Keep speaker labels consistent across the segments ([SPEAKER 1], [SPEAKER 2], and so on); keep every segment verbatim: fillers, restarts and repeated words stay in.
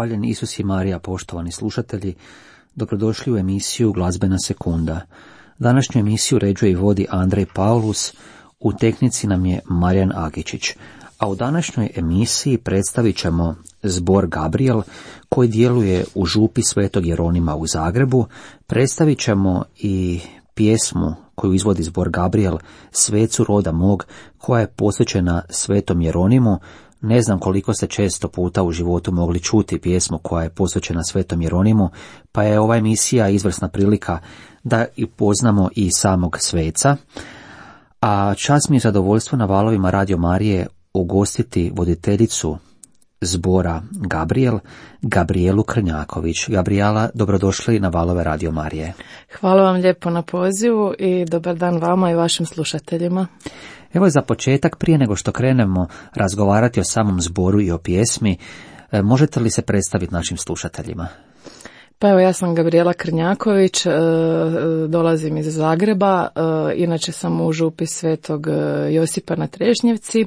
[SPEAKER 1] Hvaljen Isus i Marija, poštovani slušatelji, dobrodošli u emisiju Glazbena sekunda. Današnju emisiju uređuje i vodi Andrej Paulus, u tehnici nam je Marijan Agičić, a u današnjoj emisiji predstavit ćemo zbor Gabriel koji djeluje u župi Svetog Jeronima u Zagrebu. Predstavit ćemo i pjesmu koju izvodi zbor Gabriel, Svecu roda mog, koja je posvećena Svetom Jeronimu. Ne znam koliko ste često puta u životu mogli čuti pjesmu koja je posvećena Svetom Jeronimu, pa je ova emisija izvrsna prilika da upoznamo i samog sveca. A čast mi je zadovoljstvo na valovima Radio Marije ugostiti voditeljicu zbora Gabriel, Gabrielu Krnjaković. Gabriela, dobrodošli na valove Radio Marije.
[SPEAKER 2] Hvala vam lijepo na pozivu i dobar dan vama i vašim slušateljima.
[SPEAKER 1] Evo za početak, prije nego što krenemo razgovarati o samom zboru i o pjesmi, možete li se predstaviti našim slušateljima?
[SPEAKER 2] Pa evo, ja sam Gabriela Krnjaković, dolazim iz Zagreba, inače sam u župi Svetog Josipa na Trešnjevci,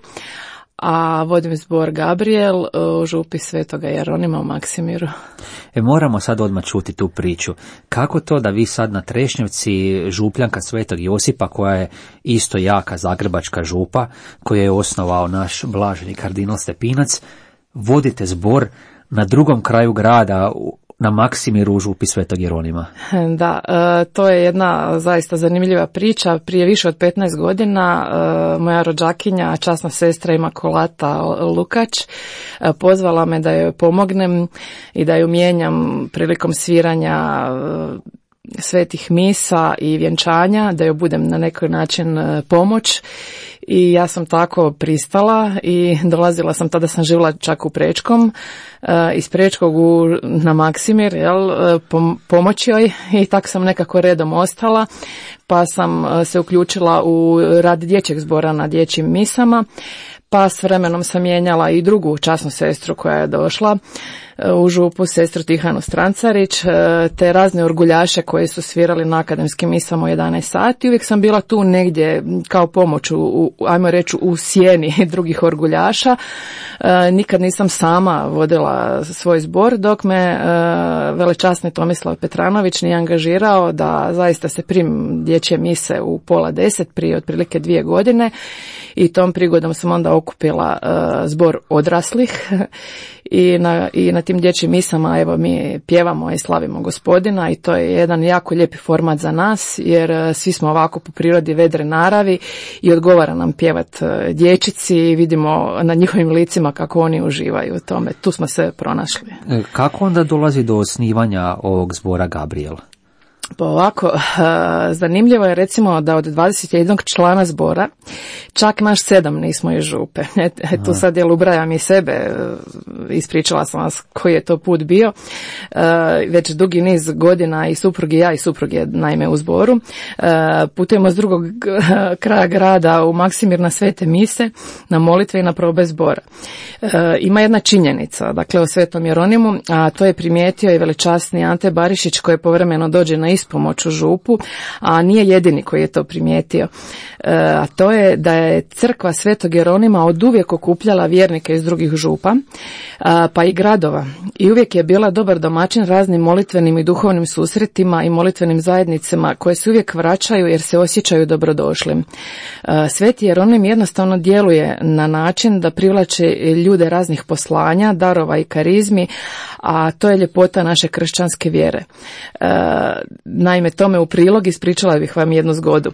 [SPEAKER 2] a vodim zbor Gabriel u župi Svetoga Jeronima u Maksimiru.
[SPEAKER 1] E, moramo sad odmah čuti tu priču. Kako to da vi sad na Trešnjevci, župljanka Svetog Josipa, koja je isto jaka zagrebačka župa, koju je osnovao naš blaženi kardinal Stepinac, vodite zbor na drugom kraju grada, na Maksimiru u župi Svetog Jeronima?
[SPEAKER 2] Da, to je jedna zaista zanimljiva priča. Prije više od petnaest godina moja rođakinja, časna sestra Imakulata Lukač, pozvala me da joj pomognem i da ju mijenjam prilikom sviranja svetih misa i vjenčanja, da joj budem na neki način pomoć. I ja sam tako pristala i dolazila sam, tada sam živjela čak u Prečkom, iz Prečkog u, na Maksimir, jel, pom, pomoći joj, i tako sam nekako redom ostala, pa sam se uključila u rad dječjeg zbora na dječjim misama, pa s vremenom sam mijenjala i drugu časnu sestru koja je došla u župu, sestru Tihanu Strancarić, te razne orguljaše koji su svirali na akademskim misama u jedanaest sati. Uvijek sam bila tu negdje kao pomoć, u, u, ajmo reći, u sjeni drugih orguljaša. E, nikad nisam sama vodila svoj zbor, dok me e, velečasni Tomislav Petranović nije angažirao da zaista se primim dječje mise u pola deset prije otprilike dvije godine, i tom prigodom sam onda okupila e, zbor odraslih i na, i na tim dječjim misama evo mi pjevamo i slavimo Gospodina, i to je jedan jako lijepi format za nas, jer svi smo ovako po prirodi vedre naravi i odgovara nam pjevat dječici i vidimo na njihovim licima kako oni uživaju u tome. Tu smo se pronašli.
[SPEAKER 1] Kako onda dolazi do osnivanja ovog zbora Gabriel?
[SPEAKER 2] Pa ovako, zanimljivo je recimo da od dvadeset jednog člana zbora čak naš sedam nismo iz župe. E, tu sad jel ubrajam i sebe, ispričala sam vas koji je to put bio. E, već dugi niz godina i suprug i ja i suprug je naime u zboru. E, putujemo s drugog kraja grada u Maksimir na svete mise, na molitve i na probe zbora. E, ima jedna činjenica, dakle o Svetom Jeronimu, a to je primijetio i velečasni Ante Barišić, koji povremeno dođe na ispomoć u župu, a nije jedini koji je to primijetio. E, a to je da je crkva Svetog Jeronima oduvijek okupljala vjernike iz drugih župa, a, pa i gradova, i uvijek je bila dobar domaćin raznim molitvenim i duhovnim susretima i molitvenim zajednicama koje se uvijek vraćaju jer se osjećaju dobrodošlim. E, Sveti Jeronim jednostavno djeluje na način da privlače ljude raznih poslanja, darova i karizmi, a to je ljepota naše kršćanske vjere. E, naime, tome u prilog ispričala bih vam jednu zgodu.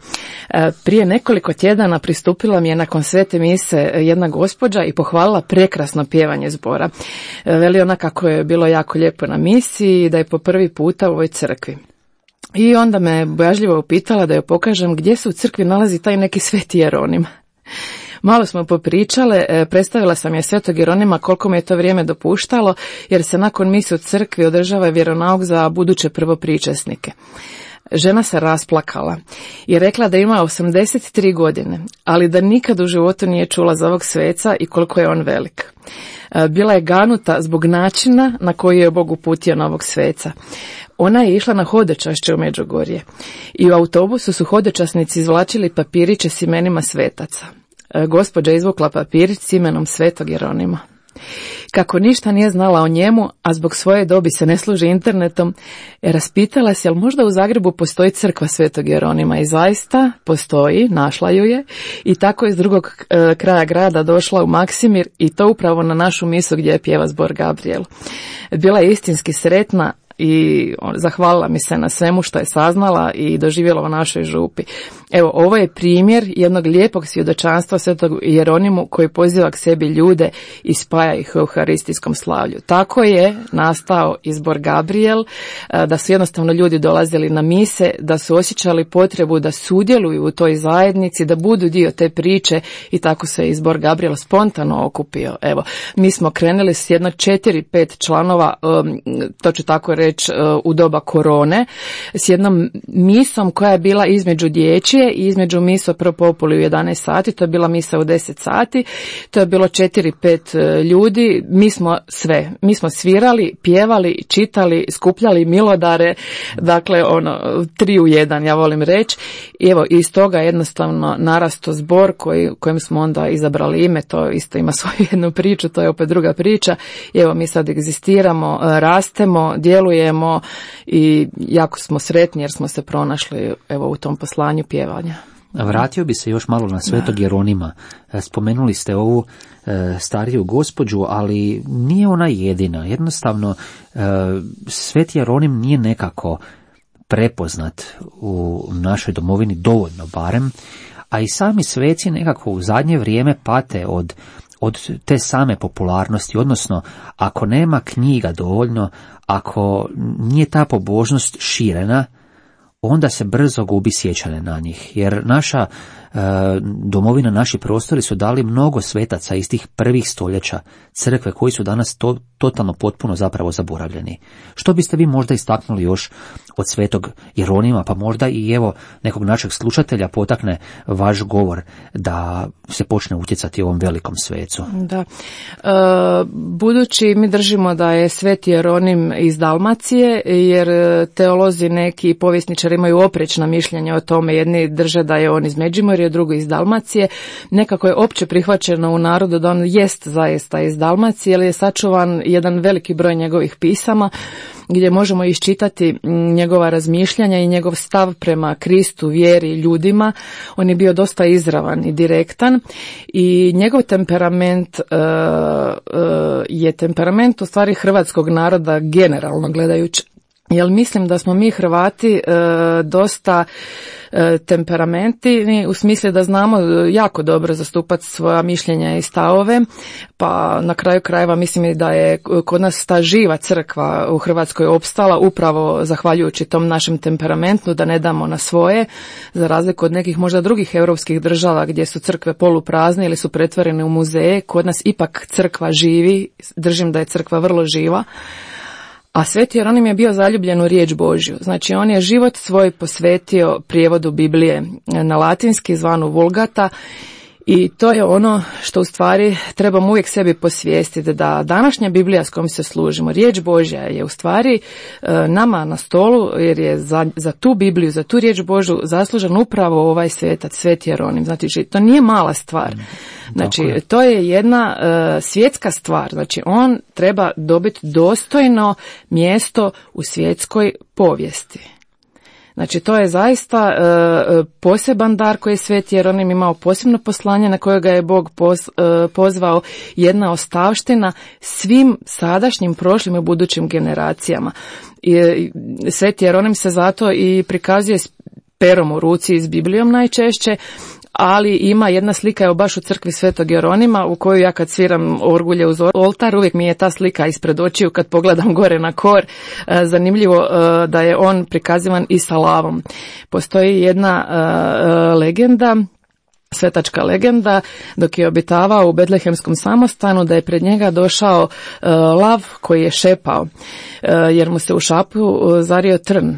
[SPEAKER 2] E, prije nekoliko tjedana pristupila mi je nakon svete mise jedna gospođa i pohvalila prekrasno pjevanje zbora. E, veli ona kako je bilo jako lijepo na misiji i da je po prvi puta u ovoj crkvi. I onda me bojažljivo upitala da joj pokažem gdje se u crkvi nalazi taj neki Sveti Jeronim. Malo smo popričale, predstavila sam je Svetog Jeronima koliko mi je to vrijeme dopuštalo, jer se nakon mise u crkvi održava vjeronauk za buduće prvopričesnike. Žena se rasplakala i rekla da ima osamdeset tri godine, ali da nikad u životu nije čula za ovog sveca i koliko je on velik. Bila je ganuta zbog načina na koji je Bog uputio na ovog sveca. Ona je išla na hodočašće u Međugorje i u autobusu su hodočasnici izvlačili papiriće s imenima svetaca. Gospođa izvukla papirić s imenom Svetog Jeronima. Kako ništa nije znala o njemu, a zbog svoje dobi se ne služi internetom, raspitala se jel možda u Zagrebu postoji crkva Svetog Jeronima, i zaista postoji, našla ju je, i tako iz drugog e, kraja grada došla u Maksimir, i to upravo na našu misu gdje je pjeva zbor Gabriel. Bila je istinski sretna i zahvalila mi se na svemu što je saznala i doživjela u našoj župi. Evo, ovo je primjer jednog lijepog svjedočanstva Svetog Jeronimu koji poziva k sebi ljude i spaja ih u euharistijskom slavlju. Tako je nastao izbor Gabriel, da su jednostavno ljudi dolazili na mise, da su osjećali potrebu da sudjeluju u toj zajednici, da budu dio te priče, i tako se izbor Gabriel spontano okupio. Evo, mi smo krenuli s jedno četiri, pet članova, to ću tako reći, u doba korone, s jednom misom koja je bila između dječje i između miso pro populi u jedanaest sati, to je bila misa u deset sati, to je bilo četiri pet ljudi, mi smo sve, mi smo svirali, pjevali, čitali, skupljali milodare, dakle ono, tri u jedan, ja volim reći, i evo, iz toga jednostavno narasto zbor koji, kojem smo onda izabrali ime, to isto ima svoju jednu priču, to je opet druga priča, i evo mi sad egzistiramo, rastemo, djelujemo i jako smo sretni jer smo se pronašli evo u tom poslanju pjevanja.
[SPEAKER 1] Vratio bi se još malo na Svetog Jeronima. Spomenuli ste ovu e, stariju gospođu, ali nije ona jedina. Jednostavno, e, Sveti Jeronim nije nekako prepoznat u našoj domovini dovoljno barem, a i sami sveci nekako u zadnje vrijeme pate od od te same popularnosti, odnosno ako nema knjiga dovoljno, ako nije ta pobožnost širena, onda se brzo gubi sjećanje na njih, jer naša e, domovina, naši prostori su dali mnogo svetaca iz tih prvih stoljeća crkve koji su danas to, totalno potpuno zapravo zaboravljeni. Što biste vi možda istaknuli još od Svetog Jeronima, pa možda i evo nekog našeg slušatelja potakne vaš govor da se počne utjecati ovom velikom svecu?
[SPEAKER 2] Da. E, budući mi držimo da je Sveti Jeronim iz Dalmacije, jer teolozi neki i povjesničari imaju oprečna mišljenja o tome, jedni drže da je on iz Međimurja, drugi iz Dalmacije, nekako je opće prihvaćeno u narodu da on jest zaista iz Dalmacije, jer je sačuvan jedan veliki broj njegovih pisama, gdje možemo iščitati njegova razmišljanja i njegov stav prema Kristu, vjeri, ljudima. On je bio dosta izravan i direktan i njegov temperament uh, uh, je temperament u stvari hrvatskog naroda generalno gledajući. Jer mislim da smo mi Hrvati e, dosta e, temperamentni u smislu da znamo jako dobro zastupati svoja mišljenja i stavove, pa na kraju krajeva mislim da je kod nas ta živa crkva u Hrvatskoj opstala upravo zahvaljujući tom našem temperamentu, da ne damo na svoje, za razliku od nekih možda drugih europskih država gdje su crkve poluprazne ili su pretvorene u muzeje. Kod nas ipak crkva živi, držim da je crkva vrlo živa. A Sveti Jeronim je bio zaljubljen u riječ Božju. Znači on je život svoj posvetio prijevodu Biblije na latinski zvanu Vulgata, i to je ono što u stvari trebamo uvijek sebi posvijestiti, da današnja Biblija s kojom se služimo, riječ Božja, je u stvari nama na stolu, jer je za, za tu Bibliju, za tu riječ Božju zaslužen upravo ovaj svetac, Sveti Jeronim. Znači to nije mala stvar. Znači je. To je jedna uh, svjetska stvar. Znači on treba dobiti dostojno mjesto u svjetskoj povijesti. Znači to je zaista e, poseban dar koji je Sveti Jeronim imao, posebno poslanje na kojega je Bog poz, e, pozvao, jedna ostavština svim sadašnjim, prošlim i budućim generacijama. I, Sveti Jeronim se zato i prikazuje s perom u ruci i s Biblijom najčešće, ali ima jedna slika, evo baš u crkvi Svetog Jeronima, u koju ja kad sviram orgulje uz oltar, uvijek mi je ta slika ispred očiju kad pogledam gore na kor. Zanimljivo da je on prikazivan i sa lavom. Postoji jedna legenda, svetačka legenda, dok je obitavao u Betlehemskom samostanu, da je pred njega došao lav koji je šepao, jer mu se u šapu zario trn.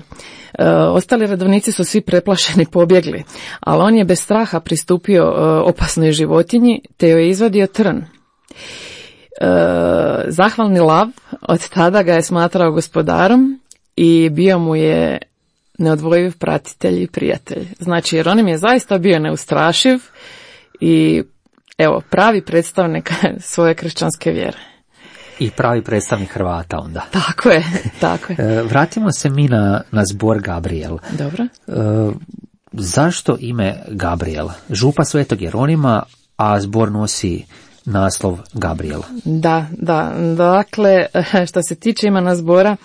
[SPEAKER 2] E, ostali redovnici su svi preplašeni pobjegli, ali on je bez straha pristupio e, opasnoj životinji te joj je izvadio trn. E, zahvalni lav od tada ga je smatrao gospodarom i bio mu je neodvojiv pratitelj i prijatelj. Znači Jeronim je zaista bio neustrašiv i evo pravi predstavnik svoje kršćanske vjere.
[SPEAKER 1] I pravi predstavnik Hrvata onda.
[SPEAKER 2] Tako je, tako je.
[SPEAKER 1] Vratimo se mi na, na zbor Gabriel.
[SPEAKER 2] Dobro.
[SPEAKER 1] E, zašto ime Gabriel? Župa Svetog Jeronima, a zbor nosi naslov Gabriel.
[SPEAKER 2] Da, da. Dakle, što se tiče imena zbora,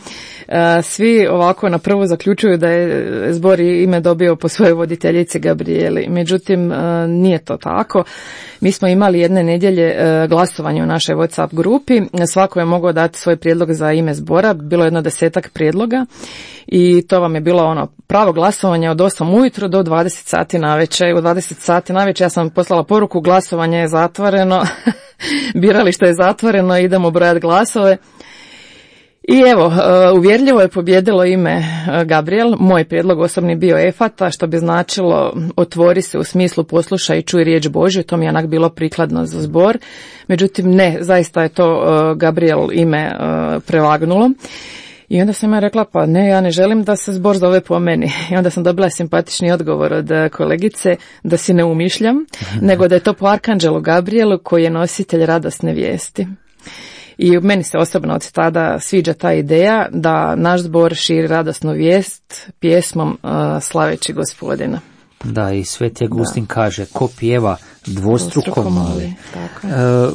[SPEAKER 2] svi ovako na prvu zaključuju da je zbor ime dobio po svojoj voditeljici Gabrijeli. Međutim, nije to tako. Mi smo imali jedne nedjelje glasovanje u našoj WhatsApp grupi. Svako je mogao dati svoj prijedlog za ime zbora. Bilo je jedno desetak prijedloga i to vam je bilo ono pravo glasovanje od osam ujutro do dvadeset sati navečer. U dvadeset sati navečer ja sam poslala poruku, glasovanje je zatvoreno. Biralište je zatvoreno, idemo brojati glasove. I evo, uvjerljivo je pobjedilo ime Gabriel. Moj prijedlog osobni bio Efata, što bi značilo otvori se u smislu poslušaj i čuj riječ Božju. To mi je onak bilo prikladno za zbor. Međutim, ne, zaista je to Gabriel ime prevagnulo. I onda sam ja rekla, pa ne, ja ne želim da se zbor zove po meni. I onda sam dobila simpatični odgovor od kolegice da si ne umišljam, nego da je to po Arkanđelu Gabrielu koji je nositelj radosne vijesti. I meni se osobno od tada sviđa ta ideja da naš zbor širi radosnu vijest pjesmom uh, slaveći Gospodina.
[SPEAKER 1] Da, i Sveti Agustin da. kaže, ko pjeva dvostruko moli.
[SPEAKER 2] Tako
[SPEAKER 1] je. Uh,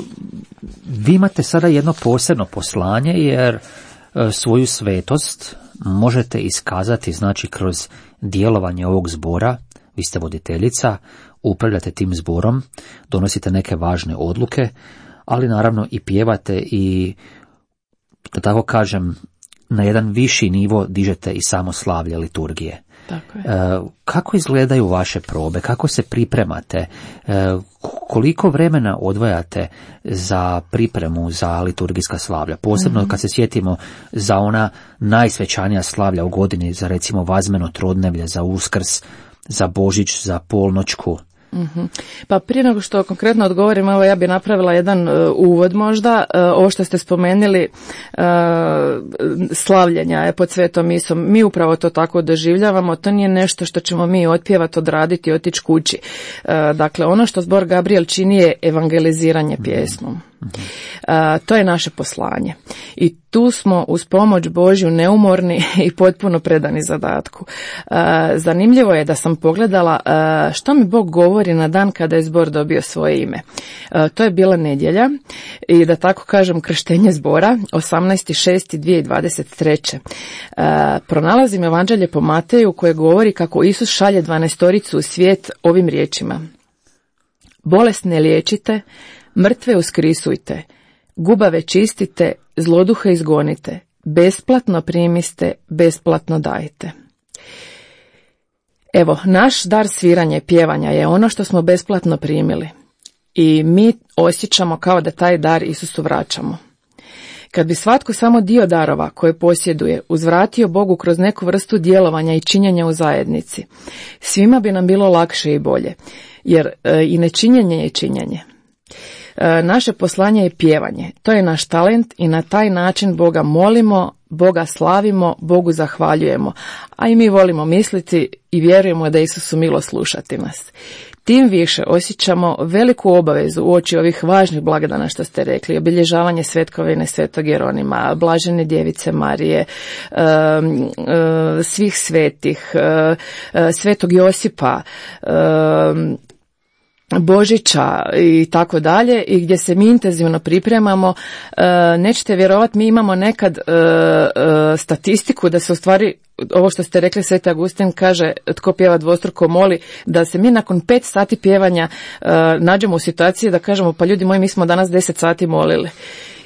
[SPEAKER 1] vi imate sada jedno posebno poslanje, jer uh, svoju svetost možete iskazati, znači, kroz djelovanje ovog zbora. Vi ste voditeljica, upravljate tim zborom, donosite neke važne odluke, ali naravno i pjevate i, da tako kažem, na jedan viši nivo dižete i samo slavlje liturgije.
[SPEAKER 2] Tako je.
[SPEAKER 1] E, kako izgledaju vaše probe, kako se pripremate, e, koliko vremena odvajate za pripremu za liturgijska slavlja, posebno mm-hmm. kad se sjetimo za ona najsvećanija slavlja u godini, za recimo Vazmeno Trodnevlje, za Uskrs, za Božić, za Polnoćku.
[SPEAKER 2] Mm-hmm. Pa prije nego što konkretno odgovorim, evo ja bi napravila jedan uh, uvod možda. Uh, ovo što ste spomenuli, uh, slavljenja je pod svetom misom, mi upravo to tako doživljavamo, to nije nešto što ćemo mi otpjevati, odraditi i otići kući. Uh, dakle, ono što zbor Gabriel čini je evangeliziranje pjesmom. Uh, to je naše poslanje. I tu smo uz pomoć Božju neumorni i potpuno predani zadatku. Uh, zanimljivo je da sam pogledala uh, što mi Bog govori na dan kada je zbor dobio svoje ime. Uh, to je bila nedjelja i da tako kažem krštenje zbora, osamnaesti šesti dvije tisuće dvadeset treće. Uh, pronalazim evanđelje po Mateju koje govori kako Isus šalje dvanaestoricu u svijet ovim riječima. Bolesne liječite, mrtve uskrisujte, gubave čistite, zloduhe izgonite, besplatno primiste, besplatno dajte. Evo, naš dar sviranja i pjevanja je ono što smo besplatno primili i mi osjećamo kao da taj dar Isusu vraćamo. Kad bi svatko samo dio darova koje posjeduje uzvratio Bogu kroz neku vrstu djelovanja i činjenja u zajednici, svima bi nam bilo lakše i bolje, jer e, i nečinjenje je činjenje. E, naše poslanje je pjevanje, to je naš talent i na taj način Boga molimo, Boga slavimo, Bogu zahvaljujemo, a i mi volimo misliti i vjerujemo da Isusu milo slušati nas. Tim više osjećamo veliku obavezu uoči ovih važnih blagdana što ste rekli, obilježavanje svetkovine Svetog Jeronima, blažene djevice Marije, svih svetih, Svetog Josipa, Božića i tako dalje, i gdje se mi intenzivno pripremamo. Nećete vjerovati, mi imamo nekad statistiku da se u stvari, ovo što ste rekli, Sveti Agustin kaže tko pjeva dvostruko moli, da se mi nakon pet sati pjevanja nađemo u situaciji da kažemo pa ljudi moji, mi smo danas deset sati molili.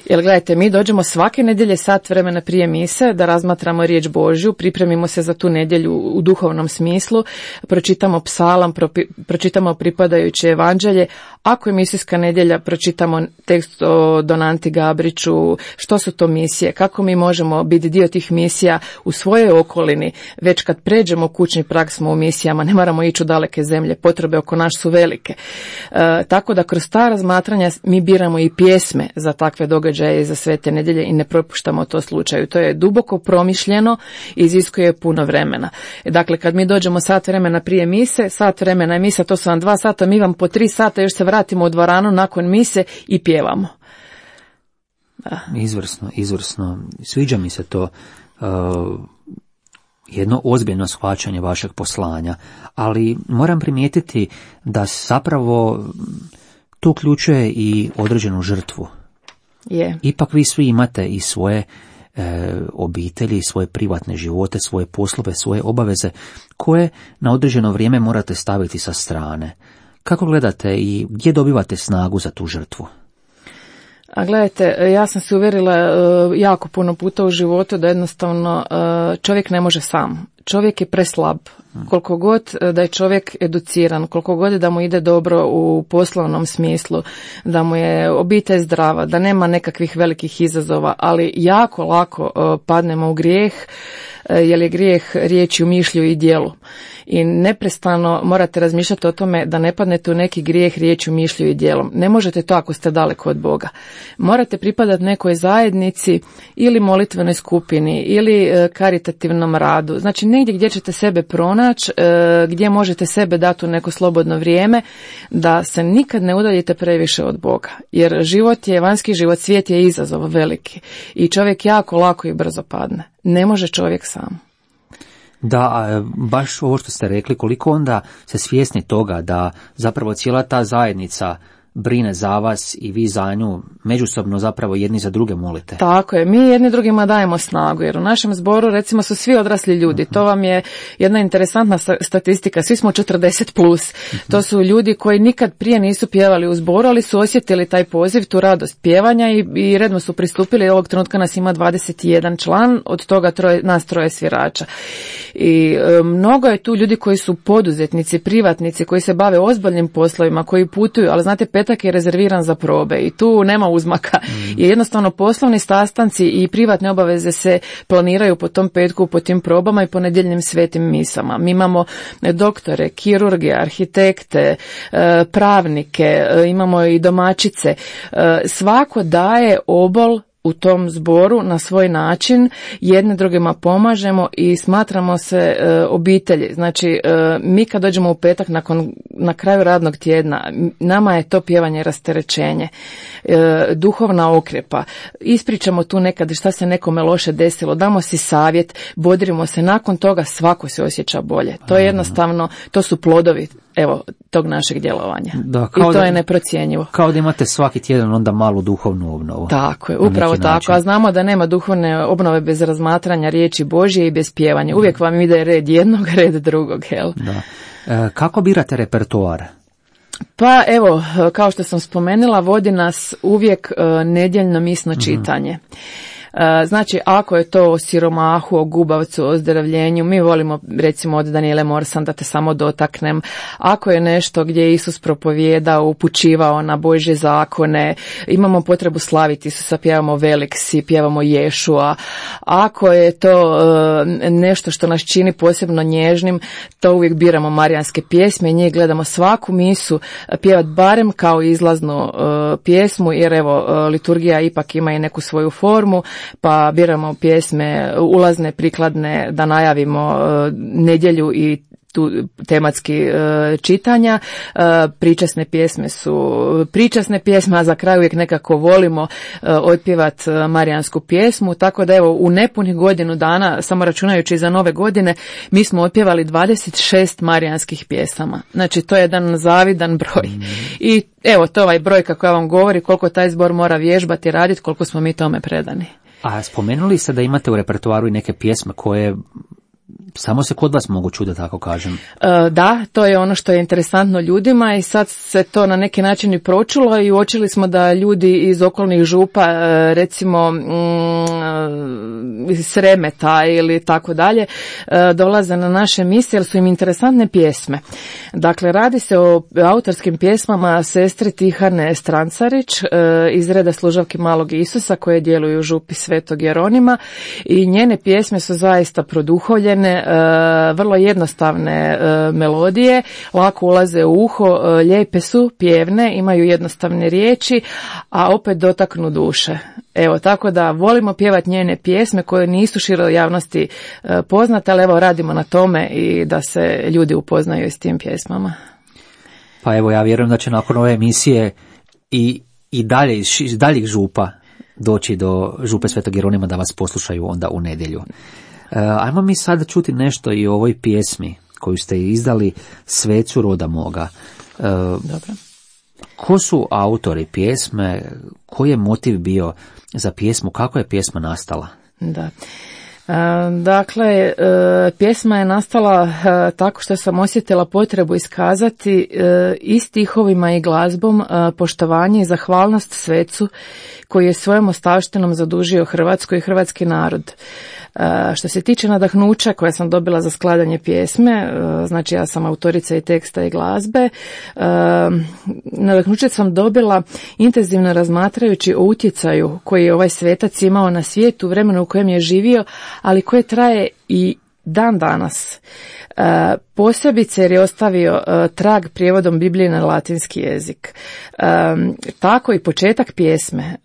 [SPEAKER 2] Jer gledajte, mi dođemo svake nedjelje sat vremena prije mise da razmatramo riječ Božju, pripremimo se za tu nedjelju u duhovnom smislu, pročitamo psalam, propi, pročitamo pripadajuće evanđelje. Ako je misijska nedjelja, pročitamo tekst o Donanti Gabriću, što su to misije, kako mi možemo biti dio tih misija u svojoj okolini. Već kad pređemo kućni prag smo u misijama, ne moramo ići u daleke zemlje, potrebe oko nas su velike. E, tako da kroz ta razmatranja mi biramo i pjesme za takve događaje i za svete nedjelje i ne propuštamo to slučaju. To je duboko promišljeno i iziskuje puno vremena. Dakle, kad mi dođemo sat vremena prije mise, sat vremena je misa, to su vam dva sata, mi vam po tri sata još se vratimo u dvoranu nakon mise i pjevamo. Da.
[SPEAKER 1] Izvrsno, izvrsno. Sviđa mi se to. Uh, jedno ozbiljno shvaćanje vašeg poslanja, ali moram primijetiti da zapravo to uključuje i određenu žrtvu.
[SPEAKER 2] Je.
[SPEAKER 1] Ipak vi svi imate i svoje e, obitelji, svoje privatne živote, svoje poslove, svoje obaveze, koje na određeno vrijeme morate staviti sa strane. Kako gledate i gdje dobivate snagu za tu žrtvu?
[SPEAKER 2] A gledajte, ja sam se uvjerila uh, jako puno puta u životu da jednostavno uh, čovjek ne može sam. Čovjek je preslab. Koliko god da je čovjek educiran, koliko god da mu ide dobro u poslovnom smislu, da mu je obitelj zdrava, da nema nekakvih velikih izazova, ali jako lako uh, padnemo u grijeh, uh, jer je grijeh riječi, u mišlju i djelu. I neprestano morate razmišljati o tome da ne padnete u neki grijeh riječju, mišlju i djelom. Ne možete to ako ste daleko od Boga. Morate pripadati nekoj zajednici ili molitvenoj skupini ili karitativnom radu. Znači negdje gdje ćete sebe pronaći, gdje možete sebe dati u neko slobodno vrijeme, da se nikad ne udaljite previše od Boga. Jer život je, vanjski život, svijet je izazov veliki i čovjek jako lako i brzo padne. Ne može čovjek sam.
[SPEAKER 1] Da, baš ovo što ste rekli, koliko onda se svjesni toga da zapravo cijela ta zajednica brine za vas i vi za nju međusobno zapravo jedni za druge molite.
[SPEAKER 2] Tako je, mi jedni drugima dajemo snagu, jer u našem zboru recimo su svi odrasli ljudi. Uh-huh. To vam je jedna interesantna statistika, svi smo četrdeset plus. Uh-huh. To su ljudi koji nikad prije nisu pjevali u zboru, ali su osjetili taj poziv, tu radost pjevanja i, i redno su pristupili. Ovog trenutka nas ima dvadeset jedan član, od toga troje, nas troje svirača. I e, mnogo je tu ljudi koji su poduzetnici, privatnici, koji se bave ozbiljnim poslovima, koji putuju, ali znate, petak je rezerviran za probe i tu nema uzmaka. Mm. I jednostavno poslovni sastanci i privatne obaveze se planiraju po tom petku, po tim probama i po nedjeljnim svetim misama. Mi imamo doktore, kirurge, arhitekte, pravnike, imamo i domaćice. Svako daje obol u tom zboru na svoj način, jedne drugima pomažemo i smatramo se e, obitelji. Znači, e, mi kad dođemo u petak nakon, na kraju radnog tjedna, nama je to pjevanje rasterećenje, e, duhovna okrepa. Ispričamo tu nekad šta se nekome loše desilo, damo si savjet, bodrimo se, nakon toga svako se osjeća bolje. To je jednostavno, to su plodovi evo tog našeg djelovanja. Da, i to da, je neprocjenjivo.
[SPEAKER 1] Kao da imate svaki tjedan onda malu duhovnu obnovu.
[SPEAKER 2] Tako je, upravo tako. Način. A znamo da nema duhovne obnove bez razmatranja riječi Božje i bez pjevanja. Uvijek vam ide red jednog, red drugog. Jel? Da.
[SPEAKER 1] E, kako birate repertoar?
[SPEAKER 2] Pa evo, kao što sam spomenula, vodi nas uvijek uh, nedjeljno misno čitanje. Mm-hmm. Znači, ako je to o siromahu, o gubavcu, o ozdravljenju, mi volimo recimo od Daniele Morsan, da te samo dotaknem. Ako je nešto gdje je Isus propovijedao, upućivao na Božje zakone, imamo potrebu slaviti Isusa, pjevamo Veliksi, pjevamo Ješua. Ako je to nešto što nas čini posebno nježnim, to uvijek biramo marijanske pjesme i njih gledamo svaku misu pjevat barem kao izlaznu pjesmu, jer evo liturgija ipak ima i neku svoju formu, pa biramo pjesme ulazne, prikladne, da najavimo uh, nedjelju i tu tematski uh, čitanja. Uh, pričasne pjesme su pričasne pjesme, a za kraj uvijek nekako volimo uh, otpjevat uh, marijansku pjesmu, tako da evo u nepunih godinu dana, samo računajući za nove godine, mi smo otpjevali dvadeset šest marijanskih pjesama. Znači to je jedan zavidan broj. Mm. I evo to ovaj broj kako ja vam govori, koliko taj zbor mora vježbati i raditi, koliko smo mi tome predani.
[SPEAKER 1] A spomenuli ste da imate u repertoaru i neke pjesme koje samo se kod vas mogu čuti, da tako kažem.
[SPEAKER 2] E, da, to je ono što je interesantno ljudima i sad se to na neki način i pročulo i uočili smo da ljudi iz okolnih župa, recimo mm, iz Sremeta ili tako dalje, dolaze na naše misije jer su im interesantne pjesme. Dakle, radi se o autorskim pjesmama sestre Tihane Strancarić iz reda služavki Malog Isusa koje djeluju u župi Svetog Jeronima i njene pjesme su zaista produhovljene, vrlo jednostavne melodije, lako ulaze u uho, lijepe su, pjevne, imaju jednostavne riječi, a opet dotaknu duše. Evo, tako da volimo pjevati njene pjesme koje nisu široj javnosti poznate, ali evo radimo na tome i da se ljudi upoznaju s tim pjesmama.
[SPEAKER 1] Pa evo, ja vjerujem da će nakon ove emisije i, i dalje iz daljih župa doći do župe Svetog Jeronima da vas poslušaju onda u nedjelju. Ajmo mi sad čuti nešto i o ovoj pjesmi koju ste izdali, Svecu roda moga.
[SPEAKER 2] Dobro.
[SPEAKER 1] Ko su autori pjesme, koji je motiv bio za pjesmu, kako je pjesma nastala?
[SPEAKER 2] Da. Dakle, pjesma je nastala tako što sam osjetila potrebu iskazati i stihovima i glazbom poštovanje i zahvalnost svecu koji je svojom ostavštinom zadužio Hrvatsku i hrvatski narod. Što se tiče nadahnuća koje sam dobila za skladanje pjesme, znači ja sam autorica i teksta i glazbe, nadahnuće sam dobila intenzivno razmatrajući o utjecaju koji je ovaj svetac imao na svijetu, vremenu u kojem je živio, ali koje traje i dan danas. Posebice jer je ostavio trag prijevodom Biblije na latinski jezik. Tako i početak pjesme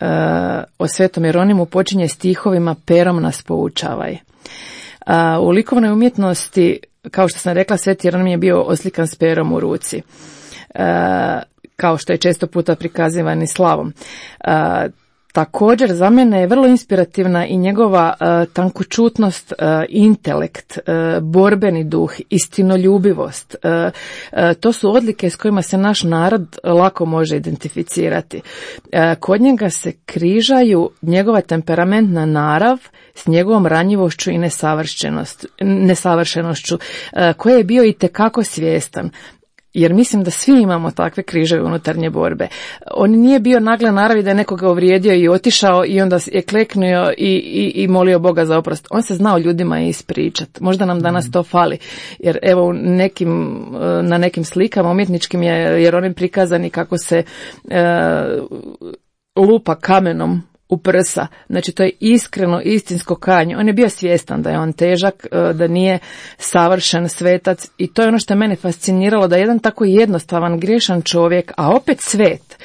[SPEAKER 2] o Svetom Jeronimu počinje stihovima Perom nas poučavaj. U likovnoj umjetnosti, kao što sam rekla, Sveti Jeronim je bio oslikan s perom u ruci, kao što je često puta prikazivan i slavom. Također, za mene je vrlo inspirativna i njegova uh, tankočutnost, uh, intelekt, uh, borbeni duh, istinoljubivost. Uh, uh, to su odlike s kojima se naš narod lako može identificirati. Uh, kod njega se križaju njegova temperamentna narav s njegovom ranjivošću i nesavršenošću, uh, koje je bio itekako svjestan. Jer mislim da svi imamo takve križeve unutarnje borbe. On nije bio nagle naravi da je nekoga uvrijedio i otišao i onda je kleknuo i, i, i molio Boga za oprost. On se znao ljudima ispričati. Možda nam danas to fali. Jer evo nekim, na nekim slikama umjetničkim je Jeronim prikazan i kako se e, lupa kamenom u prsa. Znači to je iskreno, istinsko kajanje. On je bio svjestan da je on težak, da nije savršen svetac i to je ono što je mene fasciniralo, da jedan tako jednostavan, griješan čovjek, a opet svet,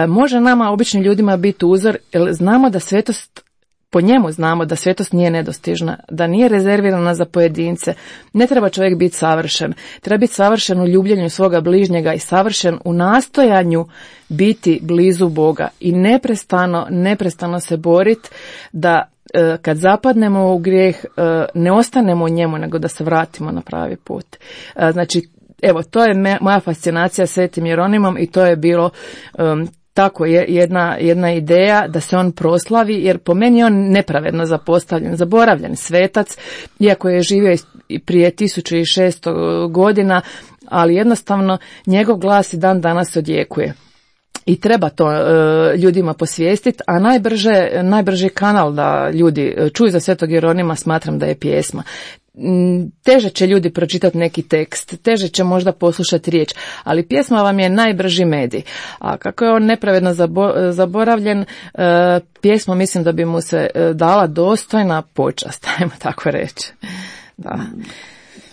[SPEAKER 2] može nama, običnim ljudima, biti uzor, jer znamo da svetost, po njemu znamo da svetost nije nedostižna, da nije rezervirana za pojedince. Ne treba čovjek biti savršen. Treba biti savršen u ljubljenju svoga bližnjega i savršen u nastojanju biti blizu Boga i neprestano, neprestano se boriti da e, kad zapadnemo u grijeh e, ne ostanemo u njemu, nego da se vratimo na pravi put. E, znači, evo, to je me, moja fascinacija Svetim Jeronimom i to je bilo um, tako je jedna, jedna ideja da se on proslavi, jer po meni je on nepravedno zapostavljen, zaboravljen svetac, iako je živio i prije tisuću šesto godina, ali jednostavno njegov glas i dan danas odjekuje. I treba to e, ljudima posvijestiti, a najbrže, najbrži kanal da ljudi čuju za Svetog Jeronima smatram da je pjesma. Teže će ljudi pročitati neki tekst, teže će možda poslušati riječ, ali pjesma vam je najbrži medij. A kako je on nepravedno zabo, zaboravljen, e, pjesma mislim da bi mu se dala dostojna počast, ajmo tako reći. Da.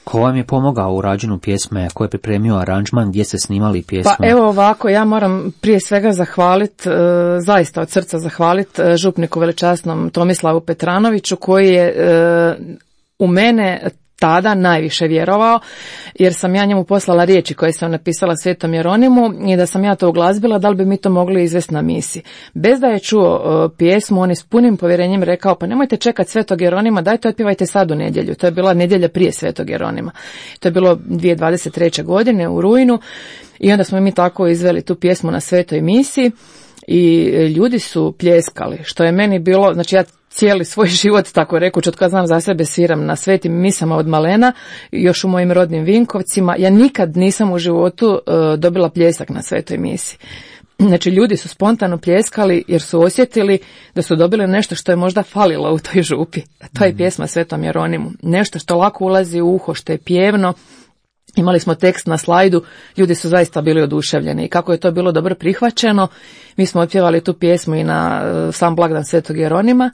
[SPEAKER 1] Ko vam je pomogao u rađenju pjesme, ko je pripremio aranžman, gdje ste snimali pjesmu?
[SPEAKER 2] Pa evo ovako, ja moram prije svega zahvaliti, e, zaista od srca zahvaliti župniku veličasnom Tomislavu Petranoviću, koji je e, u mene tada najviše vjerovao, jer sam ja njemu poslala riječi koje sam napisala Svetom Jeronimu i da sam ja to uglazbila, da li bi mi to mogli izvesti na misi. Bez da je čuo uh, pjesmu, on je s punim povjerenjem rekao, pa nemojte čekati Svetog Jeronima, dajte otpivajte sad u nedjelju. To je bila nedjelja prije Svetog Jeronima. To je bilo dvije tisuće dvadeset treće. godine u rujnu i onda smo mi tako izveli tu pjesmu na svetoj misi i ljudi su pljeskali, što je meni bilo, znači ja cijeli svoj život, tako rekuć, od kada znam za sebe, sviram na svetim misama od malena, još u mojim rodnim Vinkovcima. Ja nikad nisam u životu uh, dobila pljesak na svetoj misi. Znači, ljudi su spontano pljeskali jer su osjetili da su dobili nešto što je možda falilo u toj župi. To je pjesma Svetom Jeronimu. Nešto što lako ulazi u uho, što je pjevno. Imali smo tekst na slajdu, ljudi su zaista bili oduševljeni i kako je to bilo dobro prihvaćeno, mi smo otpjevali tu pjesmu i na sam blagdan Svetog Jeronima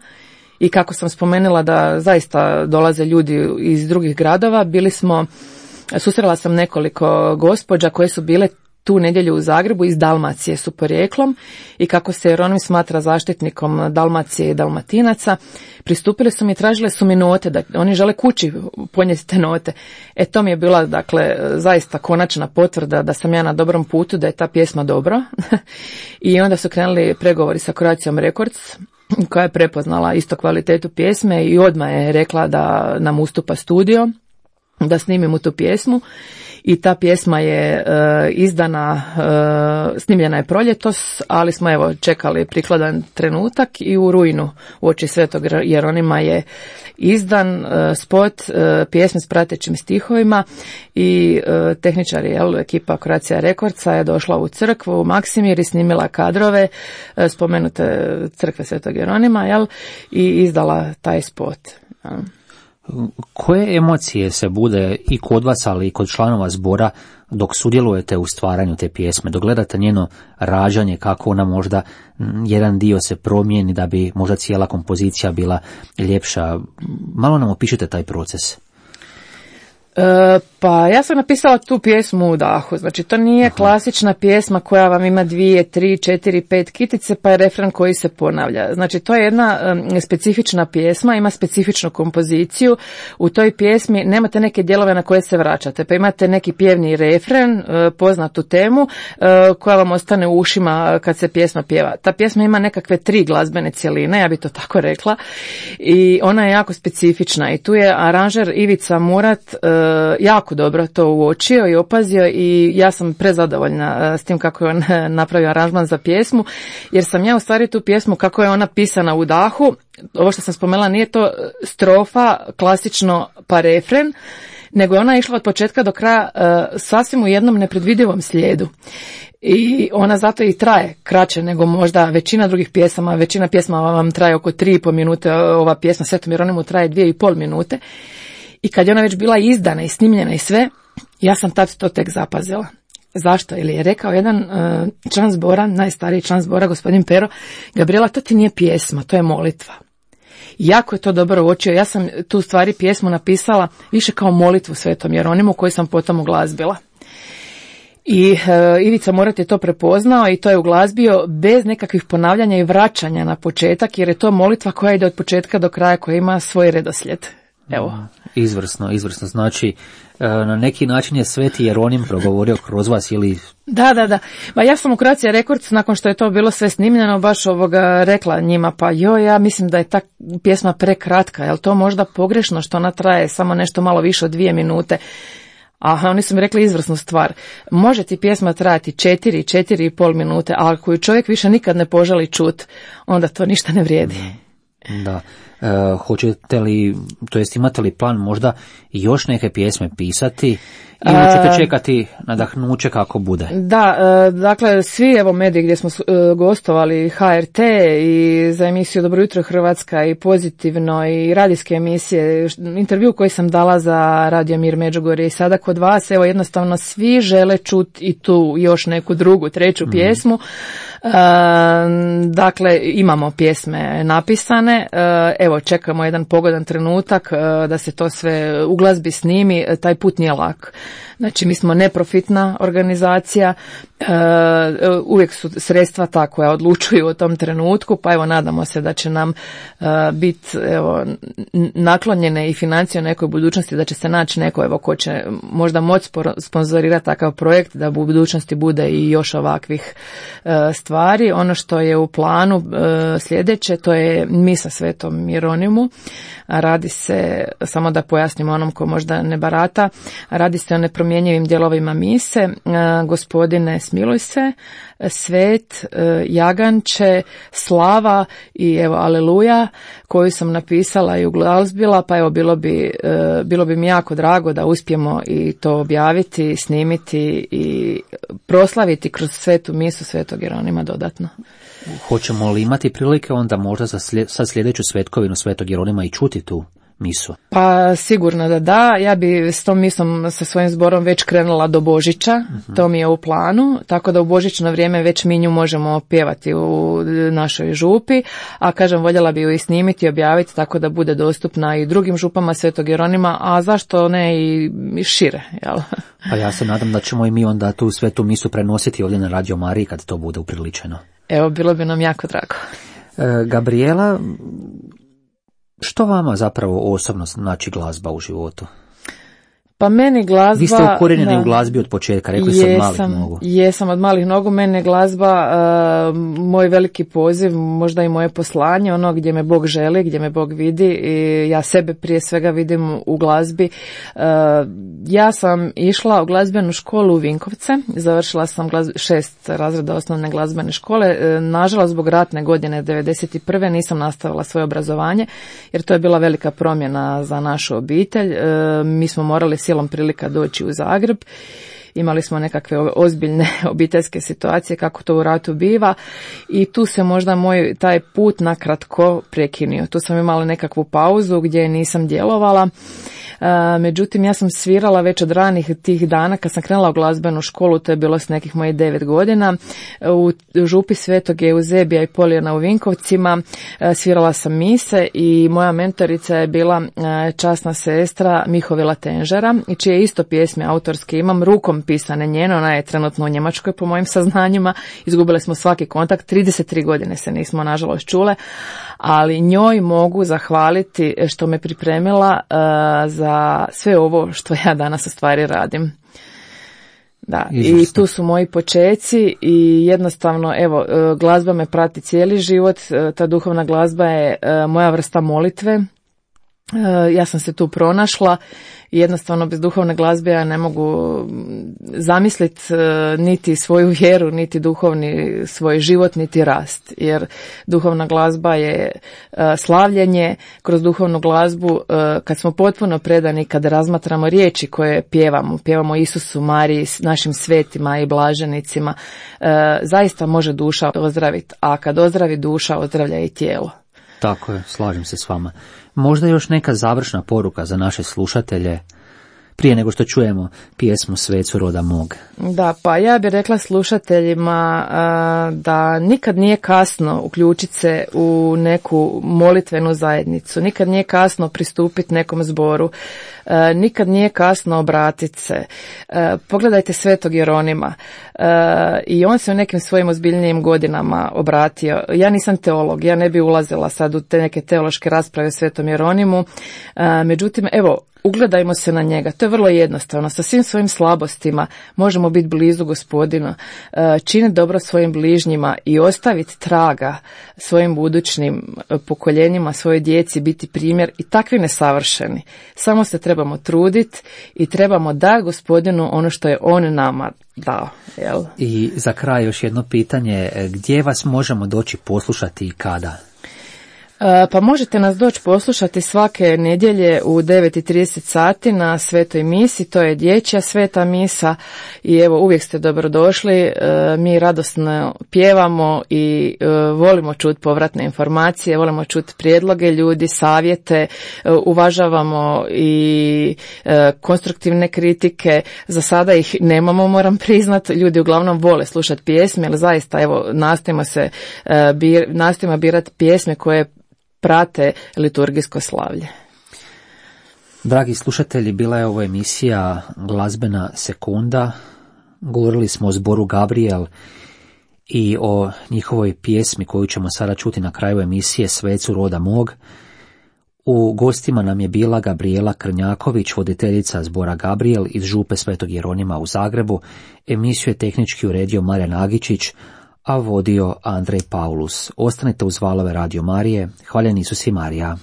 [SPEAKER 2] i kako sam spomenula da zaista dolaze ljudi iz drugih gradova, bili smo, susrela sam nekoliko gospođa koje su bile tu nedjelju u Zagrebu, iz Dalmacije su porijeklom i kako se Jeronim smatra zaštitnikom Dalmacije i Dalmatinaca, pristupili su mi i tražile su mi note, da oni žele kući ponijeti te note. E to mi je bila, dakle, zaista konačna potvrda da sam ja na dobrom putu, da je ta pjesma dobra. I onda su krenuli pregovori sa Croatiom Records koja je prepoznala isto kvalitetu pjesme i odmah je rekla da nam ustupa studio, da snimimo tu pjesmu. I ta pjesma je e, izdana, e, snimljena je proljetos, ali smo evo čekali prikladan trenutak i u rujnu uoči Svetog Jeronima je izdan e, spot e, pjesme s pratećim stihovima i e, tehničari, jel, ekipa Croatia Recordsa je došla u crkvu u Maksimir i snimila kadrove e, spomenute crkve Svetog Jeronima, jel, i izdala taj spot. Jel.
[SPEAKER 1] Koje emocije se bude i kod vas, ali i kod članova zbora dok sudjelujete u stvaranju te pjesme, dok gledate njeno rađanje, kako ona možda jedan dio se promijeni da bi možda cijela kompozicija bila ljepša? Malo nam opišite taj proces.
[SPEAKER 2] E, pa ja sam napisala tu pjesmu u dahu, znači to nije Aha. klasična pjesma koja vam ima dvije, tri, četiri, pet kitice pa je refren koji se ponavlja. Znači to je jedna um, specifična pjesma, ima specifičnu kompoziciju. U toj pjesmi nemate neke dijelove na koje se vraćate, pa imate neki pjevni refren, uh, poznatu temu uh, koja vam ostane u ušima kad se pjesma pjeva. Ta pjesma ima nekakve tri glazbene cjeline, ja bi to tako rekla, i ona je jako specifična i tu je aranžer Ivica Murat uh, jako dobro to uočio i opazio i ja sam prezadovoljna s tim kako je on napravio aranžman za pjesmu, jer sam ja u stvari tu pjesmu kako je ona pisana u dahu, ovo što sam spomenula nije to strofa klasično pa refren, nego je ona išla od početka do kraja uh, sasvim u jednom nepredvidivom slijedu. I ona zato i traje kraće nego možda većina drugih pjesama, većina pjesma vam traje oko tri i pol minute, ova pjesma Svetom Jeronimu traje dvije i pol minute. I kad je ona već bila izdana i snimljena i sve, ja sam tad to tek zapazila. Zašto? Ili je rekao jedan uh, član zbora, najstariji član zbora, gospodin Pero, Gabriela, to ti nije pjesma, to je molitva. Jako je to dobro uočio. Ja sam tu stvari pjesmu napisala više kao molitvu Svetom Jeronimu koju sam potom uglazbila. I uh, Ivica Murat je to prepoznao i to je uglazbio bez nekakvih ponavljanja i vraćanja na početak, jer je to molitva koja ide od početka do kraja, koja ima svoj redoslijed. Evo.
[SPEAKER 1] Izvrsno, izvrsno. Znači, na neki način je Sveti Jeronim progovorio kroz vas ili...
[SPEAKER 2] Da, da, da. Ma ja sam u Croatia Records, nakon što je to bilo sve snimljeno, baš ovoga rekla njima, pa joj, ja mislim da je ta pjesma prekratka, je li to možda pogrešno što ona traje samo nešto malo više od dvije minute? Aha, oni su mi rekli izvrsnu stvar. Može ti pjesma trajati četiri, četiri i pol minute, a ako ju čovjek više nikad ne poželi čut, onda to ništa ne vrijedi.
[SPEAKER 1] Da. E, hoćete li, to jest imate li plan možda još neke pjesme pisati ili ćete čekati nadahnuće kako bude?
[SPEAKER 2] Da, e, dakle svi evo mediji gdje smo e, gostovali, H R T i za emisiju Dobro jutro Hrvatska i Pozitivno i radijske emisije, intervju koji sam dala za Radio Mir Međugorje i sada kod vas, evo jednostavno svi žele čuti i tu još neku drugu, treću mm. pjesmu. E, dakle imamo pjesme napisane, e, evo čekamo jedan pogodan trenutak e, da se to sve u glazbi snimi, taj put nije lak. Znači mi smo neprofitna organizacija, e, uvijek su sredstva ta koja odlučuju o tom trenutku, pa evo nadamo se da će nam e, biti evo naklonjene i financije u nekoj budućnosti, da će se naći neko evo ko će možda moći sponzorirati takav projekt, da u budućnosti bude i još ovakvih e, stvari. Ono što je u planu e, sljedeće, to je misa Svetom Jeronimu. Radi se, samo da pojasnimo onom ko možda ne barata, radi se o nepromjenjivim dijelovima mise, e, Gospodine smiluj se, Svet, e, Jaganče, Slava i evo Aleluja, koju sam napisala i uglazbila, pa evo bilo bi, e, bilo bi mi jako drago da uspijemo i to objaviti, snimiti i proslaviti kroz svetu misu Svetog Jeronima dodatno.
[SPEAKER 1] Hoćemo li imati prilike onda možda za slijed, sa sljedeću svetkovinu Svetog Jeronima i čuti tu misu?
[SPEAKER 2] Pa sigurno da da, ja bi s tom misom sa svojim zborom već krenula do Božića, uh-huh. to mi je u planu, tako da u božićno vrijeme već mi nju možemo pjevati u našoj župi, a kažem voljela bi ju i snimiti i objaviti tako da bude dostupna i drugim župama Svetog Jeronima, a zašto ne i šire, jel?
[SPEAKER 1] Pa ja se nadam da ćemo i mi onda tu svetu misu prenositi ovdje na Radio Mariji kad to bude upriličeno.
[SPEAKER 2] Evo, bilo bi nam jako drago.
[SPEAKER 1] E, Gabriela, što vama zapravo osobno znači glazba u životu?
[SPEAKER 2] Pa meni glazba...
[SPEAKER 1] Vi ste ukorijenjeni u glazbi od početka, rekli ste od malih nogu.
[SPEAKER 2] Jesam, od malih nogu. Meni je glazba uh, moj veliki poziv, možda i moje poslanje, ono gdje me Bog želi, gdje me Bog vidi i ja sebe prije svega vidim u glazbi. Uh, ja sam išla u glazbenu školu u Vinkovce, završila sam glazb... šest razreda osnovne glazbene škole. Uh, nažalost, zbog ratne godine devedeset prve nisam nastavila svoje obrazovanje, jer to je bila velika promjena za našu obitelj. Uh, mi smo morali silom prilika doći u Zagreb. Imali smo nekakve ozbiljne obiteljske situacije, kako to u ratu biva, i tu se možda moj taj put nakratko prekinio. Tu sam imala nekakvu pauzu gdje nisam djelovala. Međutim, ja sam svirala već od ranih tih dana kad sam krenula u glazbenu školu, to je bilo s nekih mojih devet godina, u župi Svetog Euzebija i Polijana u Vinkovcima. Svirala sam mise i moja mentorica je bila časna sestra Mihovila Tenžera, i čije isto pjesme autorske imam, rukom pisane njeno, ona je trenutno u Njemačkoj po mojim saznanjima, izgubile smo svaki kontakt, trideset tri godine se nismo nažalost čule, ali njoj mogu zahvaliti što me pripremila uh, za sve ovo što ja danas u stvari radim. Da, Izvrsno. I tu su moji počeci i jednostavno, evo, glazba me prati cijeli život, ta duhovna glazba je moja vrsta molitve. Ja sam se tu pronašla i jednostavno bez duhovne glazbe ja ne mogu zamisliti niti svoju vjeru, niti duhovni svoj život, niti rast. Jer duhovna glazba je slavljenje. Kroz duhovnu glazbu, kad smo potpuno predani, kad razmatramo riječi koje pjevamo, pjevamo Isusu, Mariji, našim svetima i blaženicima, zaista može duša ozdraviti. A kad ozdravi duša, ozdravlja i tijelo.
[SPEAKER 1] Tako je, slažem se s vama. Možda još neka završna poruka za naše slušatelje, prije nego što čujemo pjesmu Svecu roda mog.
[SPEAKER 2] Da, pa ja bih rekla slušateljima a, da nikad nije kasno uključiti se u neku molitvenu zajednicu, nikad nije kasno pristupiti nekom zboru, a, nikad nije kasno obratiti se. A, pogledajte Svetog Jeronima, a, i on se u nekim svojim ozbiljnijim godinama obratio. Ja nisam teolog, ja ne bi ulazila sad u te neke teološke rasprave o Svetom Jeronimu, a, međutim, evo, ugledajmo se na njega. To je vrlo jednostavno. Sa svim svojim slabostima možemo biti blizu Gospodina, činiti dobro svojim bližnjima i ostaviti traga svojim budućnim pokoljenjima, svojoj djeci, biti primjer, i takvi nesavršeni. Samo se trebamo truditi i trebamo dati Gospodinu ono što je on nama dao. Jel?
[SPEAKER 1] I za kraj još jedno pitanje. Gdje vas možemo doći poslušati i kada?
[SPEAKER 2] Pa možete nas doći poslušati svake nedjelje u devet i trideset sati na Svetoj misi, to je dječja sveta misa, i evo, uvijek ste dobrodošli. Mi radosno pjevamo i volimo čuti povratne informacije, volimo čuti prijedloge ljudi, savjete, uvažavamo i konstruktivne kritike. Za sada ih nemamo, moram priznati, ljudi uglavnom vole slušati pjesme, ali zaista, evo, nastojimo se bir, nastojimo birati pjesme koje prate liturgijsko slavlje.
[SPEAKER 1] Dragi slušatelji, bila je ovo emisija Glazbena sekunda. Govorili smo o zboru Gabriel i o njihovoj pjesmi koju ćemo sada čuti na kraju emisije Svecu roda mog. U gostima nam je bila Gabriela Krnjaković, voditeljica zbora Gabriel iz župe Svetog Jeronima u Zagrebu. Emisiju je tehnički uredio Marijan Agičić, a vodio Andrej Paulus. Ostanite uz valove Radio Marije. Hvaljen Isus i Marija.